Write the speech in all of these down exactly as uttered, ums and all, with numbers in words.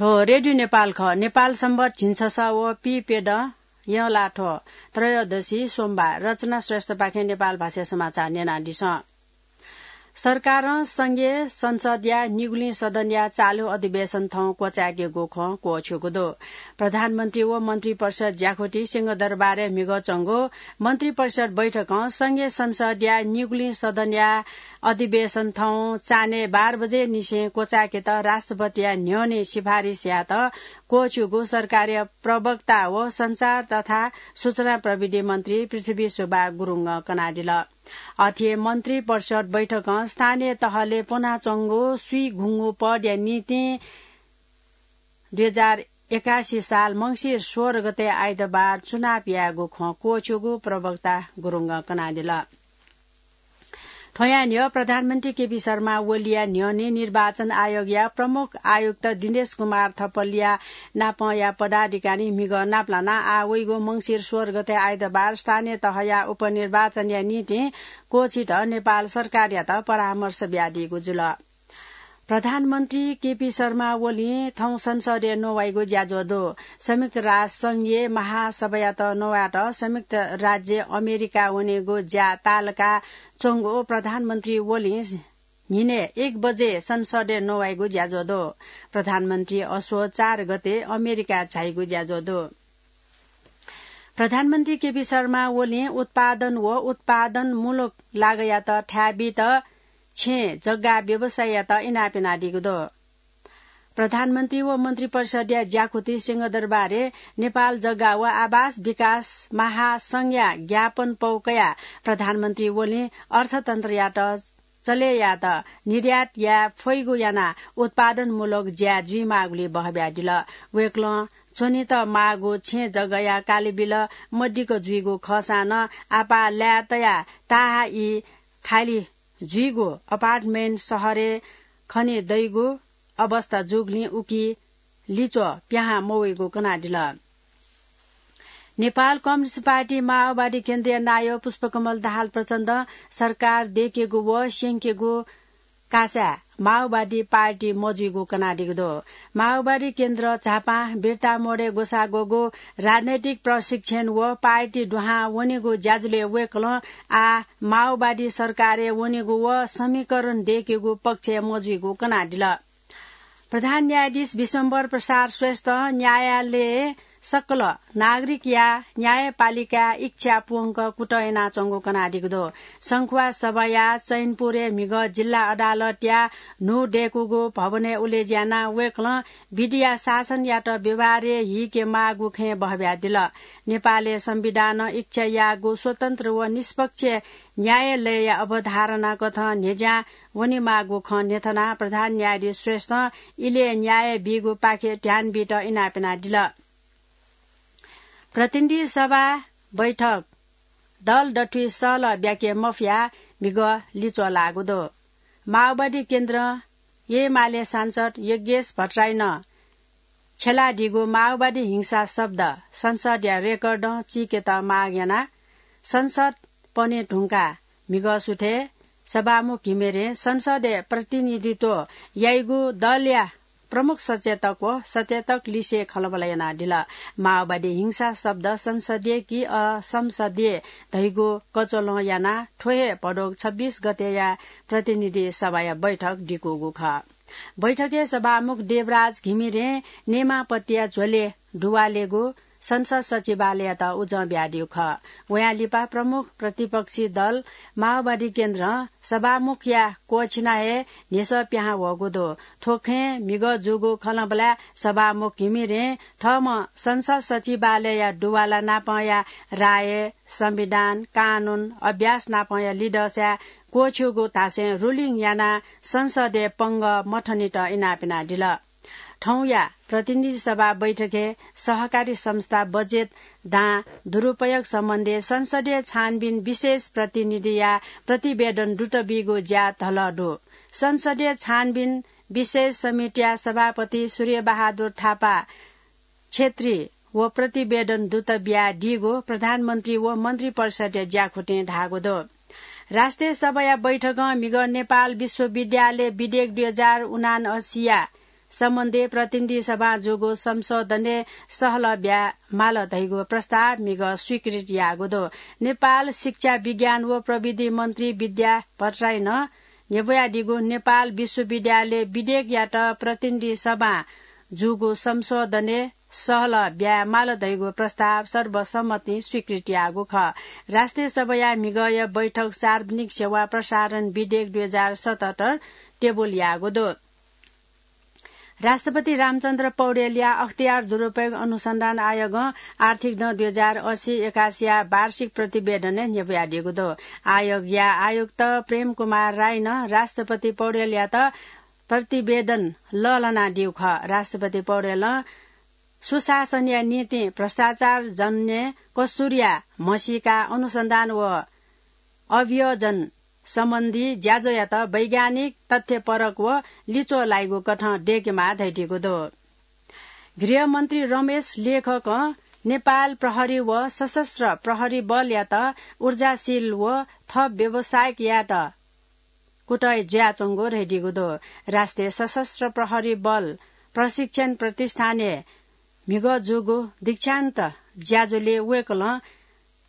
हो, रेडियो नेपाल खः। नेपाल संवत झिंछसः व पीप्यदँ यंलाथ्व त्रयोदशी सोमबार। रचना श्रेष्ठपाखें नेपाल भाषा समाचार न्यनादिसँ। सरकारं संघीय संसदया निगुलिं सदनया चालु अधिवेशन थौं क्वचायेकेगु खँ क्वःछ्यूगु दु। प्रधानमन्त्री व मन्त्रिपरिषद ज्याखुति सिंहदरबारय् म्हिगः च्वंगु मन्त्रिपरिषद बैठकं संघीय संसदया निगुलिं सदनया अधिवेशन थौं चान्हय् बाह्र बजे निसें क्वचायेकेत राष्ट्रपतिया न्ह्यःने सिफारिस यायेत क्वःछ्यूगु सरकारया प्रवक्ता व सञ्चार तथा सूचना प्रविधि मन्त्री पृथ्वी सुब्बा गुरुङं कनादिल। अथे मन्त्रिपरिषद बैठकं स्थानीय तहले प्वनाच्वंगु स्वीघुंगु पदया निंतिं दुई हजार एकासी साल मंसिर सोह्र गते आइतबार चुनाव यायेगु खँ क्वःछ्यूगु प्रवक्ता गुरुङं कनादिल। थ्वया न्ह्यः प्रधानमन्त्री केपी शर्मा ओलीया न्ह्यःने निर्वाचन आयोगया प्रमुख आयुक्त दिनेश कुमार थपलिया नापंया पदाधिकारी म्हिगः नापलानाः आः वइगु मंसिर सोह्र गते आइतबार स्थानीय तहया उपनिर्वाचनया निंतिं क्वःछित नेपाल सरकारयात परामर्श बियादीगु जुल। प्रधानमन्त्री केपी शर्मा ओलीं थौं संसदय् नवाइगु ज्याझ्वः दु। संयुक्त राष्ट्र संघीय महासभायात नवायेत संयुक्त राज्य अमेरिका वनेगु ज्या ताःलाका च्वंगु प्रधानमन्त्री ओलीं न्हिनय् एक बजे संसदय् नवाइगु ज्याझ्वः दु। प्रधानमन्त्री असोज चार गते अमेरिका झाइगु ज्याझ्वः दु। प्रधानमन्त्री केपी शर्मा ओलीं उत्पादन व उत्पादनमूलक लागःयात थाय् बीत छेँ जग्गा व्यवसायीयात इनाप यानादीगु दु। प्रधानमन्त्री व मन्त्रिपरिषदया ज्याखुति सिंहदरबारय् नेपाल जग्गा व आवास विकास महासंघया ज्ञापन पौ कयाः प्रधानमन्त्री ओलीं अर्थतन्त्रयात चले यायेत निर्यात याये फइगु यानाः उत्पादनमूलक ज्या जुइमाःगुलिं बहब्यादिल। वय्कलं च्वनेत माःगु छेँ जग्गाया कालिबिल मदिक्क जुइगु खःसां नं आपाः लाय् तयाः ताहाःइ खालि जुइगु अपार्टमेन्ट शहरय् खने दइगु अवस्था जूगुलिं उकी लिच्वः पिहां मवइगु कनादिल। नेपाल कम्युनिस्ट पार्टी माओवादी केन्द्रया नायः पुष्पकमल दाहाल प्रचण्डं सरकार दय्केगु व स्यंकेगु कासाय् माओवादी पार्टी मजुइगु कनादीगु दु। माओवादी केन्द्र झापां बिर्तामोडय् ग्वसाः ग्वःगु राजनैतिक प्रशिक्षण व पार्टी दुहां वनेगु ज्याझ्वलय् वय्कलं आः माओवादी सरकारय् वनेगु व समीकरण दय्केगु पक्षय् मजुइगु कनादिल। प्रधान न्यायाधीश विश्वम्भर प्रसाद श्रेष्ठं न्यायालयय् सकल नागरिकया न्यायपालिकाया इच्छा पूवंक कुतः यानाच्वंगु कनादीगु दु। संखुवासभाया चैनपुरय् म्हिगः जिल्ला अदालतया न्हू दय्कूगु भवनय् उलेज्यानाः वय्कलं विधिया शासनयात व्यवहारय् हीके माःगु खँय् बहब्यादिल। नेपालय् संविधानं इच्छा याःगु स्वतन्त्र व निष्पक्ष न्यायालयया अवधारणा कथं न्ह्यज्यां वनेमाःगु खँ न्ह्यथनाः प्रधान न्यायाधीश श्रेष्ठं इलय् न्याय बीगुपाखे ध्यान बीत इनाप यानादिल। प्रतिनिधि सभा बैठक दल दथुइ सहलह ब्याके मफयाः म्हिगः लिच्वः लाःगु दु। माओवादी केन्द्रं एमाले सांसद योगेश भट्टराईनं छ्यलादीगु माओवादी हिंसा शब्द संसदया रेकर्डं चीकेत माग यानाः संसद पने धुंकाः म्हिगः सुथय् सभामुख घिमिरें संसदय् प्रतिनिधित्व याइगु दलया प्रमुख सचेतक व सचेतक लिसे खँल्हाबल्हा यानादिल। माओवादी हिंसा शब्द संसदीय कि असंसदीय धइगु कचोलं यानाः थ्व हे भदौ छब्बीस गतेया प्रतिनिधि सभाया बैठक दिकूगु खः। बैठकय् सभामुख देवराज घिमिरें नेमापतिया झ्वलय् दुवालेगु संसद सचिवालययात उजं बियादीगु खः। वयां लिपा प्रमुख प्रतिपक्षी दल माओवादी केन्द्रं सभामुखया क्वःछिना हे न्ह्यसः पिहां वःगु दु। थ्व खँय् म्हिगः जूगु खँल्हाबल्हाय् सभामुख घिमिरें थःम्हं संसद सचिवालयया दुवाला नापंया राय, संविधान, कानून, अभ्यास नापंया लिधःसाय् क्वःछ्यूगु धासें रुलिङ यानाः संसदय् पंगः मथनेत इनाप यानादिल। थौंया प्रतिनिधि सभा बैठकय् सहकारी संस्था बजेट दां दुरुपयोग सम्बन्धी संसदीय छानबिन विशेष प्रतिनिधिया प्रतिवेदन दुत बीगु ज्या धलः दु। संसदीय छानबिन विशेष समितिया सभापति सूर्यबहादुर थापा क्षेत्री व प्रतिवेदन दुत बियादीगु प्रधानमन्त्री व मन्त्रिपरिषदया ज्याखुतिं धाःगु दु। राष्ट्रिय सभाया बैठकं म्हिगः नेपाल विश्वविद्यालय विधेयक दुई हजार उनान्हसिया सम्बन्धी प्रतिनिधि सभां जूगु संशोधनय् सहलह ब्याये माल धइगु प्रस्ताव म्हिगः स्वीकृत याःगु दु। नेपाल शिक्षा, विज्ञान व प्रविधि मन्त्री विद्या भट्टराईं नं न्ह्यब्वयादीगु नेपाल विश्वविद्यालय विधेयकयात प्रतिनिधि सभां जूगु संशोधनय् सहलह ब्याये माल धइगु प्रस्ताव सर्वसम्मतिं स्वीकृत याःगु खः। राष्ट्रिय सभाया म्हिगःया बैठक सार्वजनिक सेवा प्रसारण विधेयक दुई हजार सतहत्तर टेबुल याःगु दु। राष्ट्रपति रामचन्द्र पौडेलया अख्तियार दुरुपयोग अनुसन्धान आयोगं आर्थिक दँ दुई हजार अस्सी एकासीया वार्षिक प्रतिवेदनय् न्ह्यब्वयादीगु दु। आयोगया आयुक्त प्रेम कुमार राईनं राष्ट्रपति पौडेलयात प्रतिवेदन लःल्हानादीगु खः। राष्ट्रपति पौडेलं सुशासनया निंतिं भ्रष्टाचार जन्य कसुरया म्हसीका अनुसन्धान व अभियोजन सम्बन्धी ज्याझ्वःयात वैज्ञानिक तथ्यपरक व लिच्वः लाइगु कथं दयेकेमाः धयादीगु दु। गृहमन्त्री रमेश लेखकं नेपाल प्रहरी व सशस्त्र प्रहरी बलयात ऊर्जाशील व थप व्यावसायिक यायेत कुतः जुयाच्वंगु धयादीगु दु। राष्ट्रिय सशस्त्र प्रहरी बल प्रशिक्षण प्रतिष्ठानय् म्हिगः जूगु दीक्षान्त ज्याझ्वलय् वय्कलं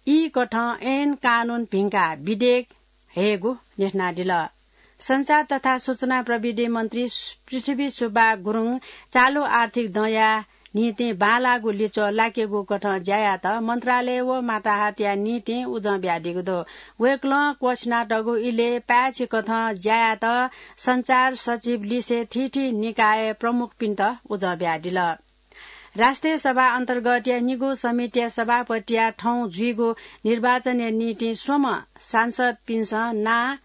ई कथं ऐन कानून भिंकाः विधेयक हयेगु न्ह्यथनादिल। सञ्चार तथा सूचना प्रविधि मन्त्री पृथ्वी सुब्बा गुरुङ चालु आर्थिक दँया निंतिं बांलाःगु लिच्वः लाकेगु कथं ज्या यायेत मन्त्रालय व माताहतया निंतिं उजं बियादीगु दु। वय्कलं क्वःछिनातःगु इलय् पाय्छि कथं ज्या यायेत सञ्चार सचिव लिसे थीथी निकाय प्रमुखपिन्त उजं बियादिल। राष्ट्रिय सभा अन्तर्गतया निगू समितिया सभापतिया थौं जुइगु निर्वाचनया निंतिं स्वम्ह सांसदपिन्सं नां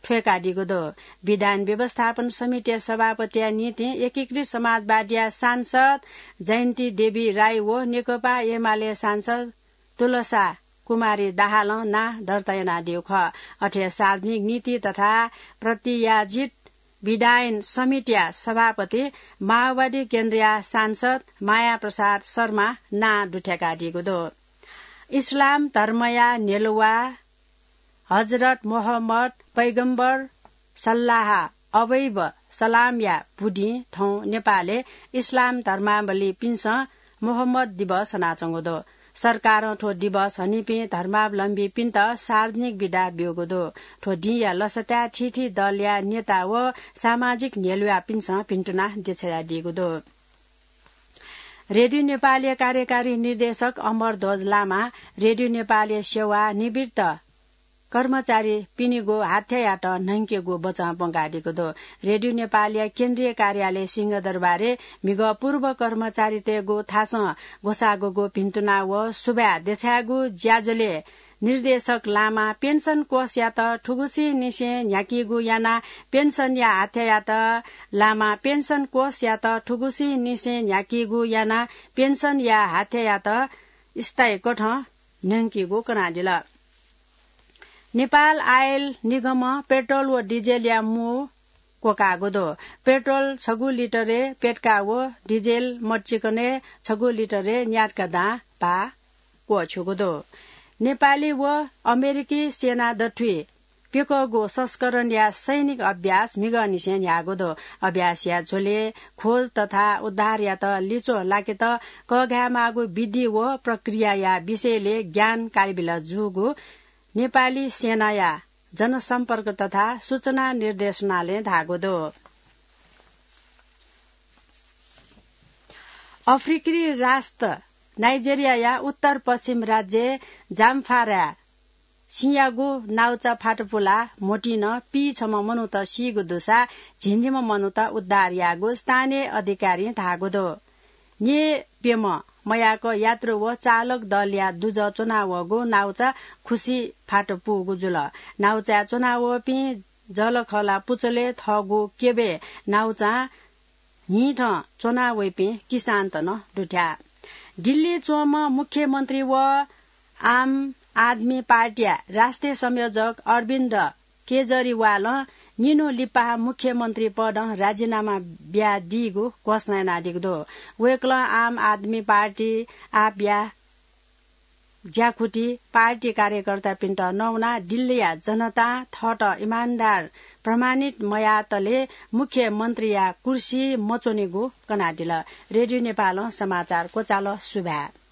थ्वय्कादीगु दु। विधान व्यवस्थापन समितिया सभापतिया निंतिं एकीकृत समाजवादीया सांसद जयन्ती देवी राई व नेकपा एमाले सांसद तुलसा कुमारी दाहालं नां दर्ता यानादीगु खः। अथे सार्वजनिक नीति तथा प्रत्यायोजित विधायन समितिया सभापति माओवादी केन्द्रया सांसद माया प्रसाद शर्मा नां दुथ्याकादीगु दु। इस्लाम धर्मया न्ह्यलुवा हजरत मोहम्मद पैगम्बर सल्लाह अवैब सलामया बुदिं थौं नेपालय् इस्लाम धर्मावलम्बीपिन्सं मोहम्मद दिवस हनाच्वंगु दु। सरकारं थ्व दिवस हनीपिं धर्मावलम्बीपिन्त सार्वजनिक बिदा ब्यूगु दु। थ्व दिंया लसताय् थीथी दलया नेता व सामाजिक न्ह्यलुवापिन्सं भिन्तुना देछायादीगु दु। रेडियो नेपालया कार्यकारी निर्देशक अमरध्वज लामां रेडियो नेपालया सेवा निवृत्त कर्मचारीपिनिगु हाथ्यायात न्हंकेगु बचं प्वंकादीगु दु। रेडियो नेपालया केन्द्रीय कार्यालय सिंहदरबारय् म्हिगः पूर्व कर्मचारीतय्गु थासं ग्वसाःग्वःगु भिन्तुना व सुभाय् देछायेगु ज्याझ्वलय् निर्देशक लामां पेन्सन कोषयात थुगुसिंनिसें न्ह्याकीगु यानाः पेन्सनया हाथ्यायात लामां पेन्सन कोषयात थुगुसिंनिसें न्ह्याकीगु यानाः पेन्सनया हाथ्यायात स्थायी कथं न्हंकीगु कनादिल। नेपाल आयल निगमं पेट्रोल व डिजेलया मू क्वकाःगु दु। पेट्रोल छगू लिटरय् प्यदँका व डिजेल मदुचिकनय् छगू लिटरय् न्यादँका दां भाः क्वःछ्यूगु दु। नेपाली व अमेरिकी सेना दथुइ प्यकःगु संस्करणया सैनिक अभ्यास म्हिगःनिसें न्ह्याःगु दु। अभ्यासया झ्वलय् खोज तथा उद्धारयात लिच्वः लाकेत कःघायेमाःगु विधि व प्रक्रियाया विषयलय् ज्ञान कायेबिल जूगु नेपाली सेनाया जनसम्पर्क तथा सूचना निर्देशनालयं धाःगु दु। अफ्रिकी राष्ट्र नाइजेरियाया उत्तर पश्चिम राज्य जामफाराय् सिंयागु नाउचा फातपुला म्होतिं पीछम्ह मनूत सीगु दुसा झिंनिम्ह मनूत उद्धार याःगु स्थानीय अधिकारीं धाःगु दु। न्येप्यम्ह मयाक यात्रु व चालक दलया दुजः च्वनावःगु नाउचा खुसी फातपुगु जुल। नाउचाय् च्वनावःपिं जःलाखःला पुचलय् थःगु क्यबय् नाउचां न्हिथं च्वनावइपिं किसानत नं दुथ्याः। दिल्ली च्वंम्ह मुख्यमन्त्री व आम आदमी पार्टीया राष्ट्रिय संयोजक अरविन्द केजरीवालं निन्हु लिपा मुख्यमन्त्री पदं राजीनामा बियादीगु घोषणा यानादीगु दु। वय्कलं आम आदमी पार्टी आपया ज्याकुथि पार्टी कार्यकर्तापिन्त नवानाः दिल्लीया जनतां थःत इमान्दार प्रमाणित मयातले मुख्यमन्त्रीया कुर्सी मच्वनेगु कनादिल। रेडियो नेपालं समाचार क्वचाल। सुभाय्।